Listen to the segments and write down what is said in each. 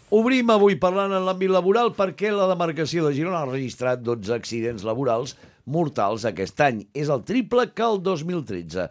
Obrim avui parlant en l'àmbit laboral perquè la demarcació de Girona ha registrat 12 accidents laborals mortals aquest any. És el triple que el 2013.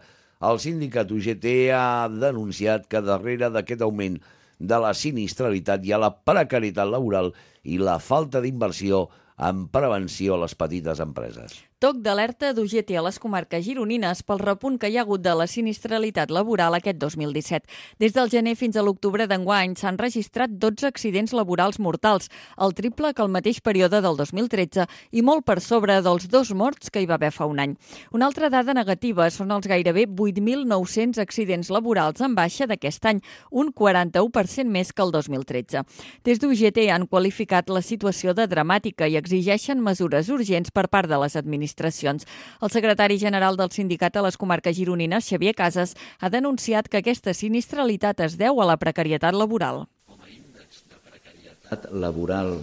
El sindicat UGT ha denunciat que darrere d'aquest augment de la sinistralitat hi ha la precarietat laboral i la falta d'inversió en prevenció a les petites empreses. Toc d'alerta d'UGT a les comarques gironines pel repunt que hi ha hagut de la sinistralitat laboral aquest 2017. Des del gener fins a l'octubre d'enguany s'han registrat 12 accidents laborals mortals, el triple que el mateix període del 2013 i molt per sobre dels 2 morts que hi va haver fa un any. Una altra dada negativa són els gairebé 8.900 accidents laborals en baixa d'aquest any, un 41% més que el 2013. Des d'UGT han qualificat la situació de dramàtica i exigeixen mesures urgents per part de les administracions. El secretari general del sindicat a les comarques gironines, Xavier Casas, ha denunciat que aquesta sinistralitat es deu a la precarietat laboral. Com a índex de precarietat laboral,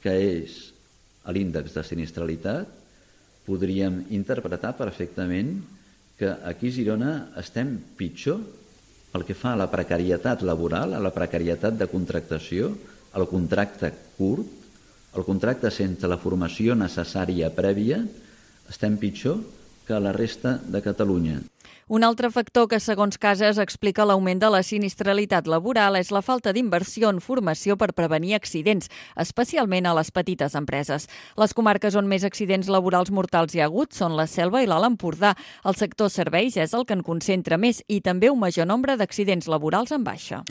que és l'índex de sinistralitat, podríem interpretar perfectament que aquí a Girona estem pitjor pel que fa a la precarietat laboral, a la precarietat de contractació, al contracte curt, el contracte sense la formació necessària prèvia, estem pitjor que a la resta de Catalunya. Un altre factor que, segons Casas, explica l'augment de la sinistralitat laboral és la falta d'inversió en formació per prevenir accidents, especialment a les petites empreses. Les comarques on més accidents laborals mortals hi ha hagut són la Selva i l'Alt Empordà. El sector serveis és el que en concentra més i també un major nombre d'accidents laborals en baixa.